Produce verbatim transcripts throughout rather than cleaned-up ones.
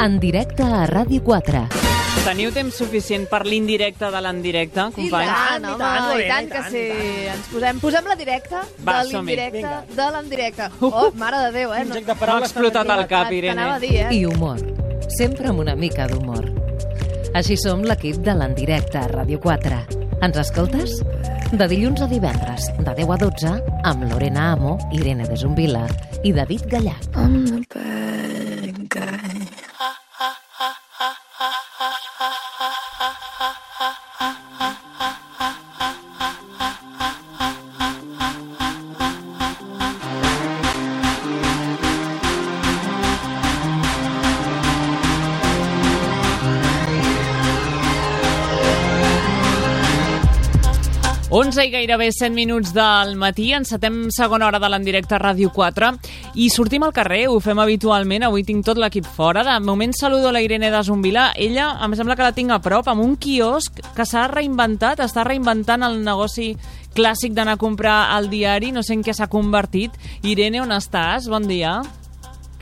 En directe a Ràdio quatre. Teniu temps suficient per l'indirecte de l'endirecte, companys? I tant, home, i tant, i tant que sí. Ens posem, posem la directa de l'indirecte de l'endirecte. Oh, mare de Déu, eh? M'ha explotat el cap, Irene. T'anava a dir, eh? I humor. Sempre amb una mica d'humor. Així som l'equip de l'endirecte a Ràdio quatre. Ens escoltes? De dilluns a divendres, de deu a dotze, amb Lorena Amo, Irene de Zumbila i David Gallach. I'm the bad guy. onze i gairebé cent minuts del matí, encetem segona hora de l'endirecte a Ràdio quatre i sortim al carrer, ho fem habitualment, avui tinc tot l'equip fora. De moment saludo la Irene de Zumbila, ella em sembla que la tinc a prop, amb un quiosc que s'ha reinventat, està reinventant el negoci clàssic d'anar a comprar al diari, no sé en què s'ha convertit. Irene, on estàs? Bon dia.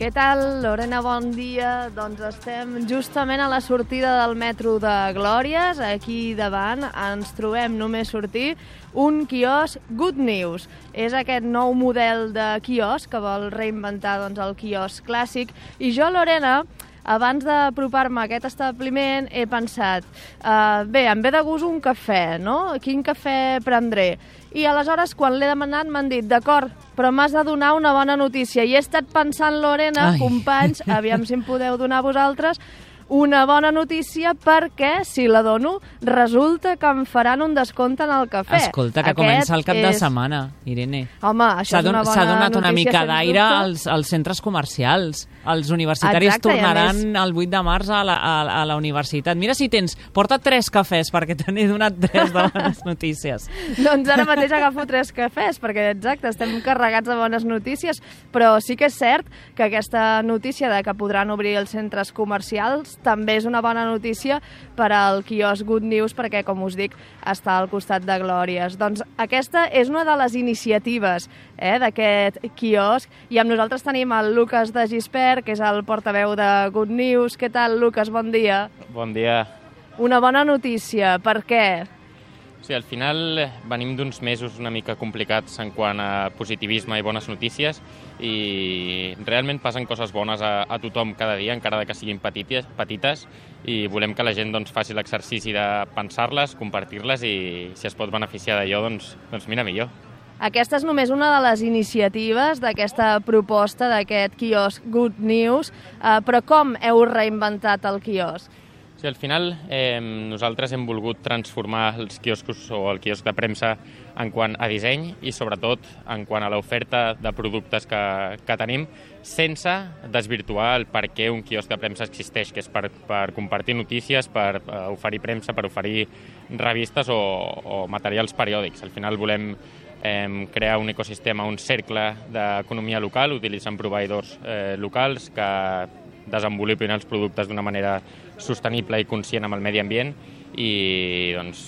Què tal, Lorena? Bon dia. Doncs estem justament a la sortida del metro de Glòries. Aquí davant ens trobem només sortir un quiosc Good News. És aquest nou model de quiosc que vol reinventar doncs, el quiosc clàssic. I jo, Lorena, abans d'apropar-me a aquest establiment he pensat, uh, bé, em ve de gust un cafè, no? Quin cafè prendré? I aleshores, quan l'he demanat, m'han dit, d'acord, però m'has de donar una bona notícia. I he estat pensant, Lorena, Ai. companys, aviam si em podeu donar vosaltres, una bona notícia perquè, si la dono, resulta que em faran un descompte en el cafè. Escolta, que Aquest comença el cap és... de setmana, Irene. Home, això és una bona notícia. S'ha donat una mica d'aire als, als centres comercials. Els universitaris Exacte, tornaran més... el vuit de març a la, a, a la universitat. Mira si tens, porta tres cafès, perquè te n'he donat tres de bones notícies. Doncs ara mateix agafo tres cafès, perquè exacte, estem carregats de bones notícies, però sí que és cert que aquesta notícia de que podran obrir els centres comercials també és una bona notícia per al quiosc Good News, perquè, com us dic, està al costat de Glòries. Doncs aquesta és una de les iniciatives eh, d'aquest quiosc, i amb nosaltres tenim el Lucas de Gispert, que és el portaveu de Good News. Què tal, Lucas? Bon dia. Bon dia. Una bona notícia. Per què? Sí, al final venim d'uns mesos una mica complicats en quant a positivisme i bones notícies, i realment passen coses bones a, a tothom cada dia, encara que siguin petites, petites, i volem que la gent doncs, faci l'exercici de pensar-les, compartir-les, i si es pot beneficiar d'allò, doncs, doncs mira, millor. Aquesta és només una de les iniciatives d'aquesta proposta d'aquest quiosc Good News, eh, però com heu reinventat el quiosc? Sí, al final eh, nosaltres hem volgut transformar els quioscos o el quiosc de premsa en quant a disseny i sobretot en quant a l'oferta de productes que, que tenim, sense desvirtuar el per què un quiosc de premsa existeix, que és per, per compartir notícies, per uh, oferir premsa, per oferir revistes o, o materials periòdics. Al final volem eh, crear un ecosistema, un cercle d'economia local, utilitzant proveïdors eh, locals que desenvolupin els productes d'una manera sostenible i conscient amb el medi ambient, i doncs,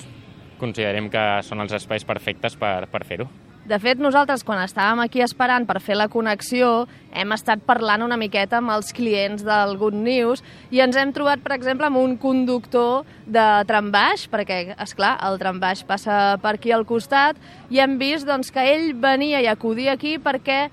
considerem que són els espais perfectes per, per fer-ho. De fet, nosaltres, quan estàvem aquí esperant per fer la connexió, hem estat parlant una miqueta amb els clients del Good News i ens hem trobat, per exemple, amb un conductor de trambaix, perquè, esclar, el trambaix passa per aquí al costat, i hem vist doncs, que ell venia i acudia aquí perquè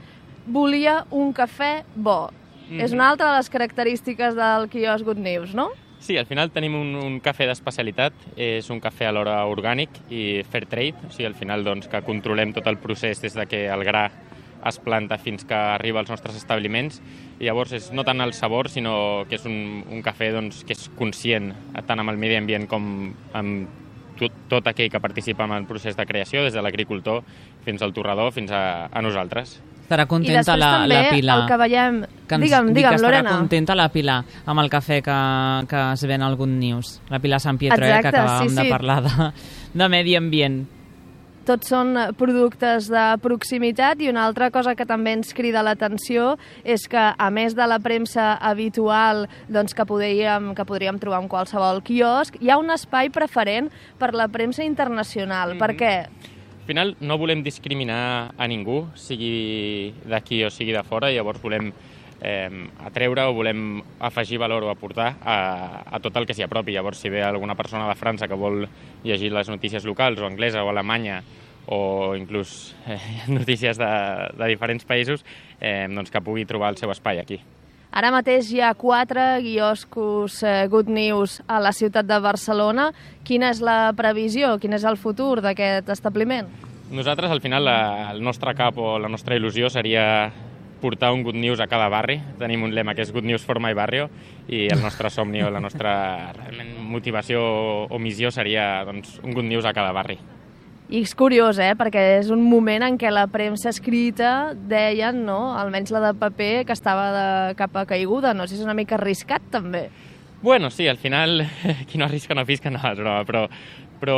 volia un cafè bo. Mm-hmm. És una altra de les característiques del quiosc Good News, no? Sí, al final tenim un, un cafè d'especialitat, és un cafè alhora orgànic i fair trade, o sigui, al final doncs, que controlem tot el procés des de que el gra es planta fins que arriba als nostres establiments, i llavors és no tant el sabor, sinó que és un, un cafè doncs, que és conscient tant amb el medi ambient com amb tot, tot aquell que participa en el procés de creació, des de l'agricultor fins al torrador, fins a, a nosaltres. Estarà contenta la, la Pilar. El que veiem... Que ens, digue'm, digue'm, que Lorena. Estarà contenta la Pilar amb el cafè que, que es ven al Good News. La Pilar Sant Pietro, eh, que acabàvem sí, sí. de parlar de, de medi ambient. Tots són productes de proximitat, i una altra cosa que també ens crida l'atenció és que, a més de la premsa habitual doncs, que, podríem, que podríem trobar en qualsevol quiosc, hi ha un espai preferent per la premsa internacional. Mm-hmm. Per què? Al final no volem discriminar a ningú, sigui d'aquí o sigui de fora, llavors volem eh, atreure o volem afegir valor o aportar a, a tot el que s'hi apropi. Llavors, si ve alguna persona de França que vol llegir les notícies locals, o anglesa, o alemanya, o inclús eh, notícies de, de diferents països, eh, doncs que pugui trobar el seu espai aquí. Ara mateix hi ha quatre quioscos eh, Good News a la ciutat de Barcelona. Quina és la previsió? Quin és el futur d'aquest establiment? Nosaltres, al final, la, el nostre cap o la nostra il·lusió seria portar un Good News a cada barri. Tenim un lema que és Good News for my barrio, i el nostre somni o la nostra realment motivació o missió seria doncs, un Good News a cada barri. I és curiós, eh? Perquè és un moment en què la premsa escrita deien, no?, almenys la de paper, que estava de capa caiguda. No sé si és una mica arriscat, també. Bueno, sí, al final, qui no arrisca no fisca, no, és broma, però, però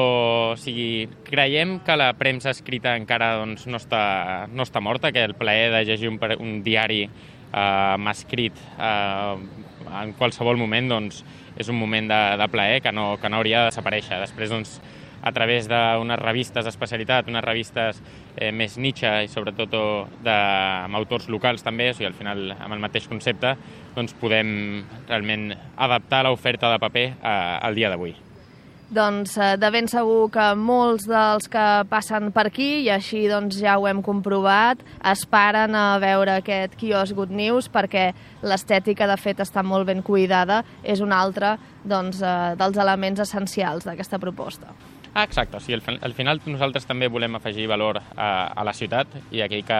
o sigui, creiem que la premsa escrita encara doncs, no, està, no està morta, que el plaer de llegir un, un diari eh, escrit eh, en qualsevol moment doncs, és un moment de, de plaer que no, que no hauria de desaparèixer. Després, doncs, a través d'unes revistes d'especialitat, unes revistes eh, més niche i sobretot de, amb autors locals també, o sigui, al final amb el mateix concepte, doncs podem realment adaptar l'oferta de paper a, al dia d'avui. Doncs eh, de ben segur que molts dels que passen per aquí, i així doncs, ja ho hem comprovat, esperen a veure aquest quiosc Good News perquè l'estètica, de fet, està molt ben cuidada. És un altre doncs, eh, dels elements essencials d'aquesta proposta. Ah, exacte. O sigui, al, al final nosaltres també volem afegir valor a, a la ciutat, i aquell que,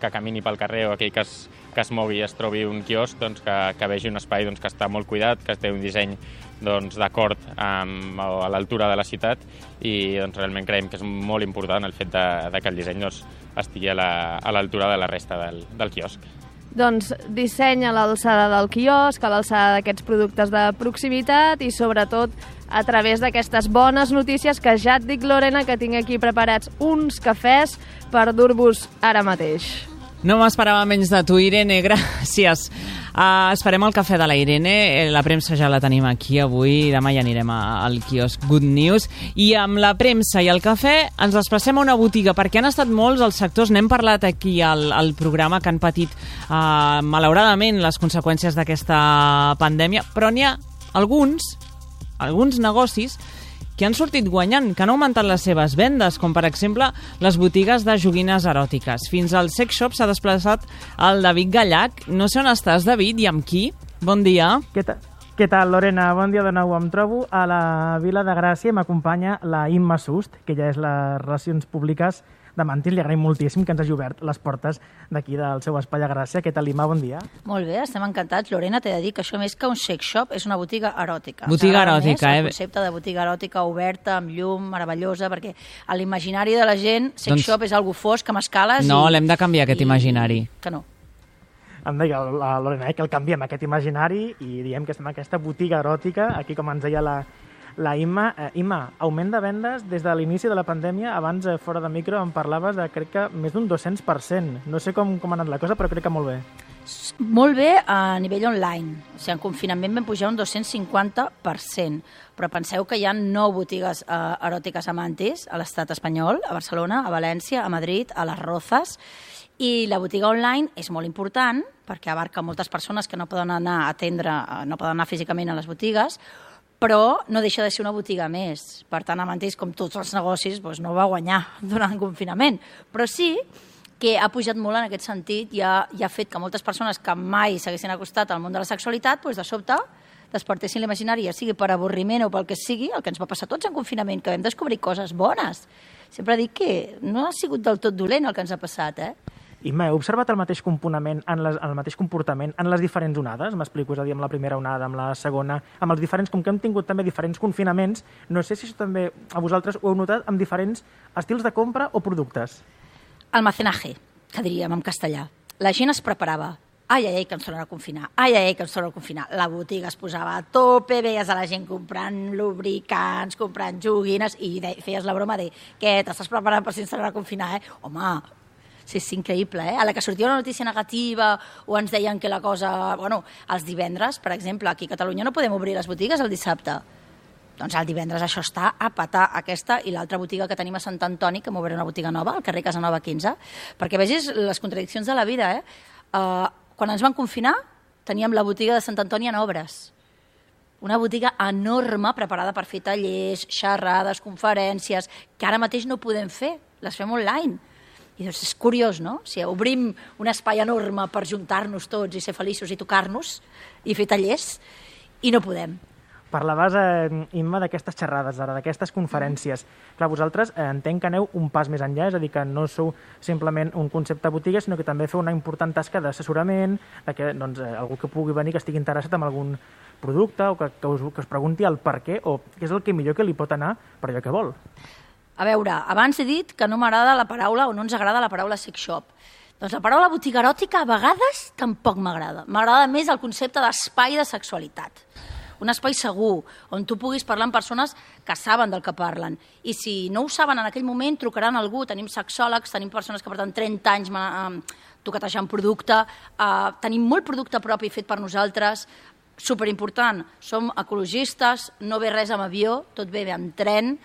que camini pel carrer o aquell que es, que es mogui i es trobi un quiosc, doncs, que, que vegi un espai doncs, que està molt cuidat, que té un disseny doncs, d'acord amb, a l'altura de la ciutat, i doncs, realment creiem que és molt important el fet de, de que el disseny doncs, estigui a l'altura la, de la resta del, del quiosc. Doncs disseny a l'alçada del quiosc, a l'alçada d'aquests productes de proximitat i sobretot a través d'aquestes bones notícies que ja et dic, Lorena, que tinc aquí preparats uns cafès per dur-vos ara mateix. No m'esperava menys de tu, Irene, gràcies. Uh, esperem el cafè de la Irene, la premsa ja la tenim aquí avui, demà ja anirem a, al quiosc Good News, i amb la premsa i el cafè ens desplacem a una botiga, perquè han estat molts els sectors, n'hem parlat aquí al, al programa, que han patit uh, malauradament les conseqüències d'aquesta pandèmia, però n'hi ha alguns, alguns negocis que han sortit guanyant, que han augmentat les seves vendes, com per exemple les botigues de joguines eròtiques. Fins al sex shop s'ha desplaçat el David Gallac. No sé on estàs, David, i amb qui? Bon dia. Què tal, Què tal Lorena? Bon dia de nou. Em trobo a la Vila de Gràcia i m'acompanya la Imma Sust, que ja és les Relacions Públiques de Mantis. Li agraïm moltíssim que ens hagi obert les portes d'aquí del seu espai a Gràcia. Què tal, Imma? Bon dia. Molt bé, estem encantats. Lorena, t'he de dir que això més que un sex shop és una botiga eròtica. Botiga eròtica, més, eh? El concepte de botiga eròtica oberta, amb llum, meravellosa, perquè a l'imaginari de la gent sex doncs... shop és algo fosc, amb escales... No, i... l'hem de canviar, aquest i... imaginari. Que no. Em deia la Lorena eh, que el canviem, aquest imaginari, i diem que estem en aquesta botiga eròtica, aquí com ens deia la, la Imma. Eh, Imma, augment de vendes des de l'inici de la pandèmia. Abans, eh, fora de micro, em parlaves de, crec que, més d'un dos-cents per cent. No sé com, com ha anat la cosa, però crec que molt bé. Molt bé a nivell online. O sigui, en confinament vam pujar un dos-cents cinquanta per cent. Però penseu que hi ha nou botigues eh, eròtiques a Mantis, a l'estat espanyol, a Barcelona, a València, a Madrid, a les Rozas. I la botiga online és molt important perquè abarca moltes persones que no poden anar a atendre, no poden anar físicament a les botigues, però no deixa de ser una botiga més. Per tant, a Mantis, com tots els negocis, doncs no va guanyar durant el confinament. Però sí que ha pujat molt en aquest sentit i ha, i ha fet que moltes persones que mai s'haguessin acostat al món de la sexualitat, doncs de sobte despertessin l'imaginari, ja sigui per avorriment o pel que sigui, el que ens va passar tots en confinament, que vam descobrir coses bones. Sempre dic que no ha sigut del tot dolent el que ens ha passat, eh? Imma, heu observat el mateix comportament en les, el mateix comportament en les diferents onades? M'explico, és a dir, amb la primera onada, amb la segona, amb els diferents, com que hem tingut també diferents confinaments, no sé si això també a vosaltres ho heu notat amb diferents estils de compra o productes. Almacenaje, que diríem en castellà. La gent es preparava. Ai, ai, ai, que ens tornen a confinar. Ai, ai, ai, que ens tornen a confinar. La botiga es posava a tope, veies a la gent comprant lubricants, comprant joguines, i de, feies la broma de què, t'estàs preparant per si ens tornen a confinar, eh? Home, sí, és increïble, eh? A la que sortia una notícia negativa o ens deien que la cosa... Bueno, els divendres, per exemple, aquí a Catalunya no podem obrir les botigues el dissabte. Doncs el divendres això està a patar, aquesta i l'altra botiga que tenim a Sant Antoni, que m'obrirà una botiga nova, al carrer Casanova quinze, perquè vegis les contradiccions de la vida, eh? Uh, quan ens van confinar, teníem la botiga de Sant Antoni en obres. Una botiga enorme preparada per fer tallers, xerrades, conferències, que ara mateix no podem fer, les fem online. I doncs és curiós, no? O sigui, obrim un espai enorme per juntar-nos tots i ser feliços i tocar-nos i fer tallers, i no podem. Parlaves, eh, Imma, d'aquestes xerrades, ara, d'aquestes conferències. Mm. Clar, vosaltres eh, entenc que aneu un pas més enllà, és a dir, que no sou simplement un concepte botiga, sinó que també feu una important tasca d'assessorament, de que doncs, eh, algú que pugui venir, que estigui interessat en algun producte o que, que, us, que us pregunti el per què o què és el que millor que li pot anar per allò que vol. A veure, abans he dit que no m'agrada la paraula o no ens agrada la paraula sex shop. Doncs la paraula botiga eròtica a vegades tampoc m'agrada. M'agrada més el concepte d'espai de sexualitat. Un espai segur, on tu puguis parlar amb persones que saben del que parlen. I si no ho saben en aquell moment, trucaran algú. Tenim sexòlegs, tenim persones que porten trenta anys eh, toquetejant producte, eh, tenim molt producte propi fet per nosaltres. Superimportant, som ecologistes, no ve res amb avió, tot ve amb tren.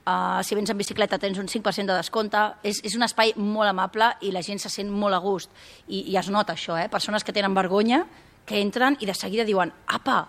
Uh, si vens en bicicleta tens un cinc per cent de descompte. És, és un espai molt amable i la gent se sent molt a gust. I, i es nota això, eh? Persones que tenen vergonya, que entren i de seguida diuen apa,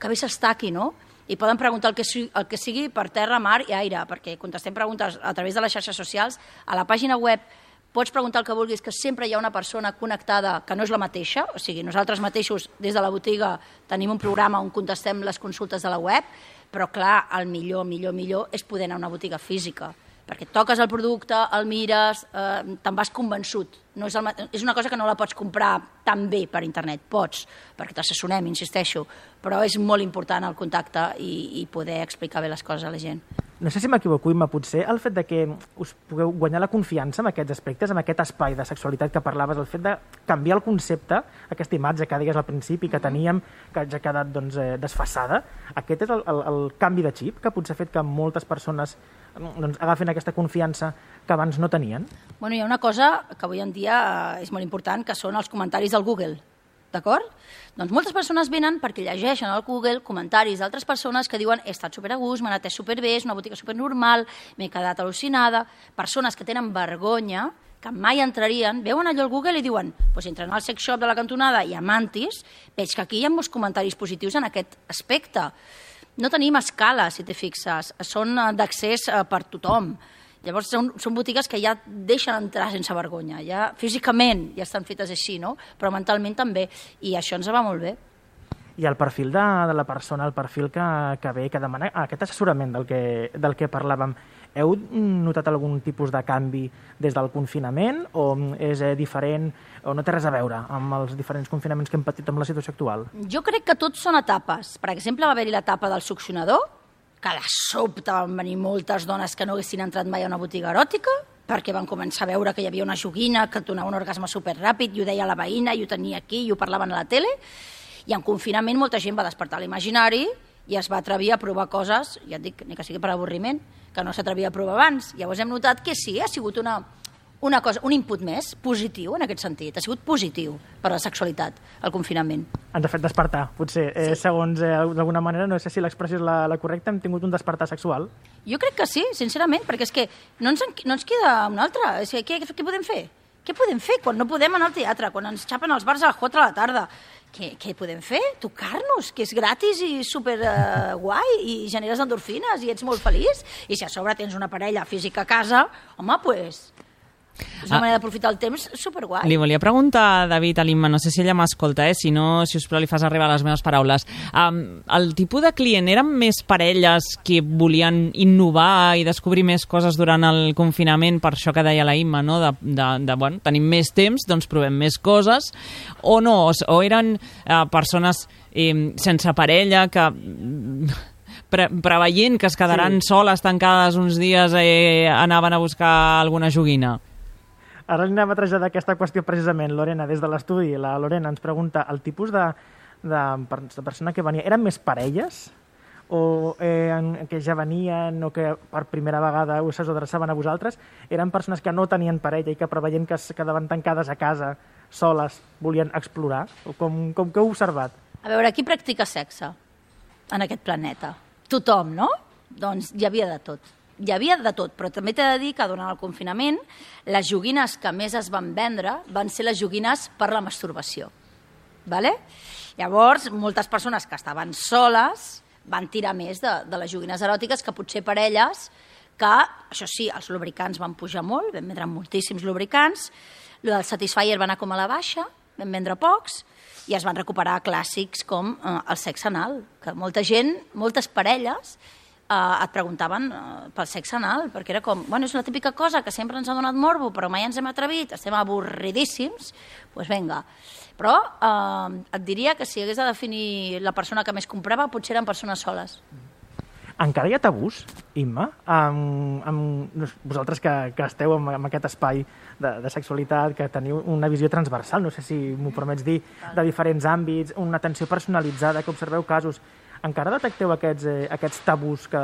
que bé s'està aquí, no? I poden preguntar el que, el que sigui per terra, mar i aire, perquè contestem preguntes a través de les xarxes socials. A la pàgina web pots preguntar el que vulguis, que sempre hi ha una persona connectada que no és la mateixa, o sigui, nosaltres mateixos des de la botiga tenim un programa on contestem les consultes de la web, però clar, el millor, millor, millor és poder anar a una botiga física, perquè toques el producte, el mires, eh, te'n vas convençut. No és, el, és una cosa que no la pots comprar tan bé per internet, pots, perquè t'assessorem, insisteixo, però és molt important el contacte i, i poder explicar bé les coses a la gent. No sé si m'equivoco, Imma, potser el fet de que us pugueu guanyar la confiança en aquests aspectes, en aquest espai de sexualitat que parlaves, el fet de canviar el concepte, aquesta imatge que deies al principi, que teníem, que ja ha quedat doncs, eh, desfasada, aquest és el, el, el canvi de xip que potser ha fet que moltes persones doncs, agafin aquesta confiança que abans no tenien? Bueno, hi ha una cosa que avui en dia és molt important, que són els comentaris del Google, d'acord? Doncs moltes persones venen perquè llegeixen al Google comentaris d'altres persones que diuen he estat super a gust, m'han atès superbé, és una botiga supernormal, m'he quedat al·lucinada. Persones que tenen vergonya, que mai entrarien, veuen allò al Google i diuen pues, entren al sex shop de la cantonada i a Mantis, veig que aquí hi ha molts comentaris positius en aquest aspecte. No tenim escala, si t'hi fixes, són d'accés per tothom. Llavors són, són botigues que ja deixen entrar sense vergonya, ja físicament ja estan fetes així, no? Però mentalment també, i això ens va molt bé. I el perfil de, de la persona, el perfil que, que ve, que demana aquest assessorament del que, del que parlàvem, heu notat algun tipus de canvi des del confinament o és eh, diferent o no té res a veure amb els diferents confinaments que hem patit amb la situació actual? Jo crec que tots són etapes. Per exemple, va haver-hi l'etapa del succionador, que de sobte van venir moltes dones que no haguessin entrat mai a una botiga eròtica, perquè van començar a veure que hi havia una joguina que et donava un orgasme superràpid, i ho deia la veïna, i ho tenia aquí, i ho parlaven a la tele, i en confinament molta gent va despertar l'imaginari i es va atrevir a provar coses, ja et dic, ni que sigui per avorriment, que no s'atrevia a provar abans. Llavors hem notat que sí, ha sigut una, una cosa, un input més positiu en aquest sentit, ha sigut positiu per a la sexualitat, el confinament. Ens ha fet despertar, potser, sí. eh, segons eh, d'alguna manera, no sé si l'expressió és la, la correcta, hem tingut un despertar sexual? Jo crec que sí, sincerament, perquè és que no ens, no ens queda una altra. És que, què, què podem fer? Què podem fer quan no podem anar al teatre, quan ens xapen els bars a les quatre de la tarda? Què, què podem fer? Tocar-nos, que és gratis i super uh, guai, i generes endorfines i ets molt feliç. I si a sobre tens una parella física a casa, home, doncs... Pues, és una ah, manera d'aprofitar el temps superguai. Li volia preguntar, David, a l'Imma, no sé si ella m'escolta, eh? Si no, si us plau, li fas arribar les meves paraules. Um, el tipus de client eren més parelles que volien innovar i descobrir més coses durant el confinament, per això que deia la Imma, no? De, de, de, bueno, tenim més temps, doncs provem més coses, o no? O, o eren uh, persones eh, sense parella que... Pre preveient que es quedaran sí. soles tancades uns dies eh, anaven a buscar alguna joguina. Ara li anem a traslladar aquesta qüestió precisament, Lorena, des de l'estudi. La Lorena ens pregunta, el tipus de, de, de persona que venia, eren més parelles? O eh, que ja venien o que per primera vegada us adreçaven a vosaltres? Eren persones que no tenien parella i que preveient que es quedaven tancades a casa, soles, volien explorar? O com, com que heu observat? A veure, qui practica sexe en aquest planeta? Tothom, no? Doncs hi havia de tot. Hi havia de tot, però també t'he de dir que durant el confinament les joguines que més es van vendre van ser les joguines per la masturbació. Vale? Llavors, moltes persones que estaven soles van tirar més de, de les joguines eròtiques que potser per elles, que, això sí, els lubricants van pujar molt, vam vendre moltíssims lubricants, el del Satisfyer va anar com a la baixa, vam vendre pocs, i es van recuperar clàssics com eh, el sexe anal, que molta gent, moltes parelles, eh, et preguntaven eh, pel sexe anal, perquè era com, bueno, és una típica cosa que sempre ens ha donat morbo, però mai ens hem atrevit, estem avorridíssims, doncs pues vinga. Però eh, et diria que si hagués de definir la persona que més comprava, potser eren persones soles. Encara hi ha tabús, Imma? Amb, amb vosaltres que, que esteu en, en aquest espai de, de sexualitat, que teniu una visió transversal, no sé si m'ho permets dir, de diferents àmbits, una atenció personalitzada, que observeu casos, encara detecteu aquests, eh, aquests tabús que,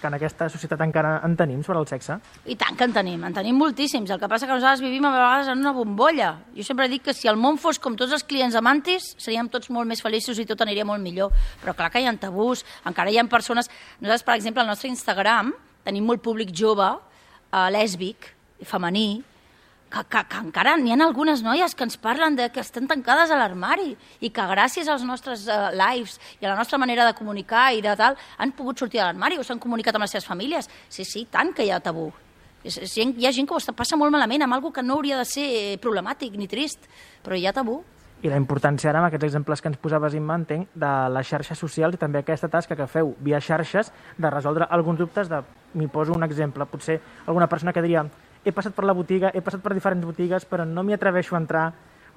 que en aquesta societat encara en tenim sobre el sexe? I tant que en tenim, en tenim moltíssims. El que passa que nosaltres vivim a vegades en una bombolla. Jo sempre dic que si el món fos com tots els clients de Mantis, seríem tots molt més feliços i tot aniria molt millor. Però clar que hi ha tabús, encara hi ha persones... Nosaltres, per exemple, al nostre Instagram tenim molt públic jove, eh, lèsbic, femení, que, que, que encara n'hi ha algunes noies que ens parlen de que estan tancades a l'armari i que gràcies als nostres uh, lives i a la nostra manera de comunicar i de tal, han pogut sortir de l'armari o s'han comunicat amb les seves famílies. Sí, sí, tant que hi ha tabú. És, és, hi ha gent que ho està, passa molt malament amb alguna que no hauria de ser problemàtic ni trist, però hi ha tabú. I la importància ara, amb aquests exemples que ens posaves, Imma, entenc, de les xarxes socials i també aquesta tasca que feu via xarxes de resoldre alguns dubtes de... M'hi poso un exemple, potser alguna persona que diria he passat per la botiga, he passat per diferents botigues, però no m'hi atreveixo a entrar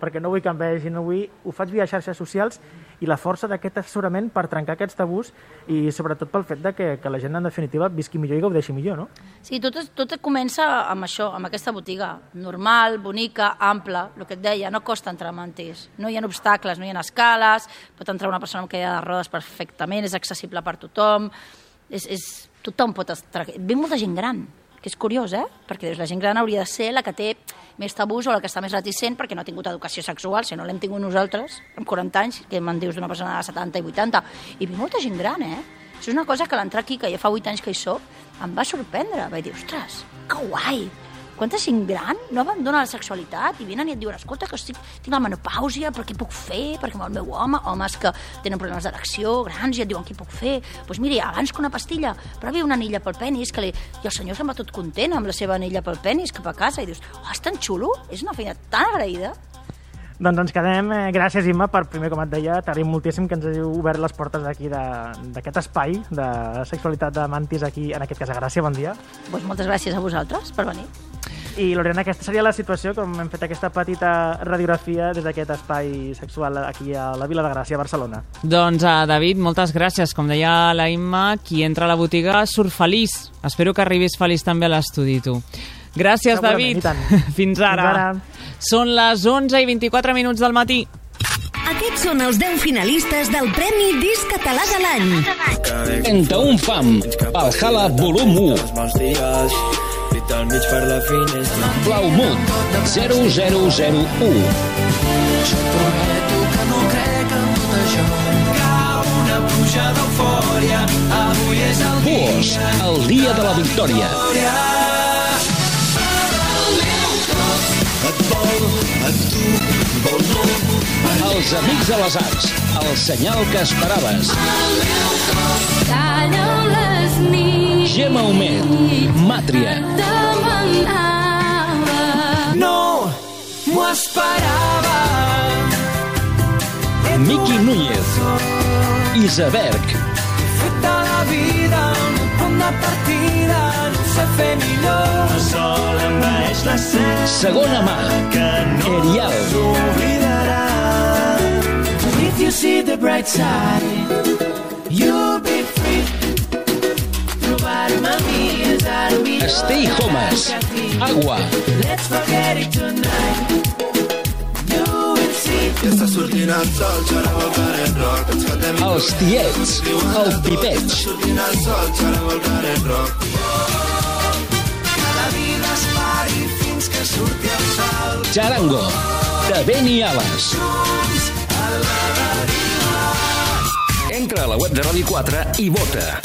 perquè no vull que em vegi, no vull... Ho faig via xarxes socials i la força d'aquest assessorament per trencar aquests tabús i sobretot pel fet de que, que la gent, en definitiva, visqui millor i gaudeixi millor, no? Sí, tot, tot comença amb això, amb aquesta botiga. Normal, bonica, ampla, el que et deia, no costa entrar a Mantis. No hi ha obstacles, no hi ha escales, pot entrar una persona amb cadira de rodes perfectament, és accessible per tothom, és, és, tothom pot estar... Ve molta gent gran, que és curiós, eh? Perquè la gent gran hauria de ser la que té més tabús o la que està més reticent perquè no ha tingut educació sexual, si no l'hem tingut nosaltres, amb quaranta anys, que me'n dius d'una persona de setanta i vuitanta. I ve molta gent gran, eh? Això és una cosa que l'entrar aquí, que ja fa vuit anys que hi soc, em va sorprendre. Vaig dir, ostres, que guai! Quanta gent gran no abandona la sexualitat i venen i et diuen, escolta, que estic, tinc la menopàusia, però què puc fer? Perquè amb el meu home, homes que tenen problemes d'erecció, grans, i et diuen, què puc fer? Doncs pues mira, abans que una pastilla, provi una anilla pel penis, que li... i el senyor se'n va tot content amb la seva anilla pel penis cap a casa, i dius, oh, és tan xulo, és una feina tan agraïda. Doncs ens quedem. Eh, gràcies, Imma, per primer, com et deia, t'agraïm moltíssim que ens hàgiu obert les portes d'aquí, d'aquest espai de sexualitat de Mantis aquí, en aquest cas a Gràcia. Bon dia. Pues moltes gràcies a vosaltres per venir. I, Lorena, aquesta seria la situació, com hem fet aquesta petita radiografia des d'aquest espai sexual aquí a la Vila de Gràcia, a Barcelona. Doncs, uh, David, moltes gràcies. Com deia la Imma, qui entra a la botiga surt feliç. Espero que arribis feliç també a l'estudi, tu. Gràcies, David. Fins ara. Fins ara. Són les onze i vint-i-quatre minuts del matí. Aquests són els deu finalistes del Premi Disc Català de l'any. trenta-un fam, Valhalla volum u. Blau Mood, zero zero zero u. Jo prometo que no crec en tot això. Cau una pluja d'eufòria. Avui és el dia. Bosch, el dia de la victòria. Et vol, et tu, vol no. Els amics de les arts, el senyal que esperaves. Calleu les nits. Gemma Humet, Màtria. No m'ho esperava. Miqui Núñez, Iceberg. Feta la vida, un punt de partida, no sé fer millor. El sol envaeix la cel. Segona mà, Erial. If you see the bright side, you'll be free. Stay Homes, Agua. Let's forget it tonight. You will see. Està sortint el sol, xarau el caret rock. Els tiets, el pipeig. Està sortint el sol, xarau el caret rock. Cada vida es pari fins que surti el sol. Charango, de Beni Ales. Entra a la web de Ràdio quatre i vota.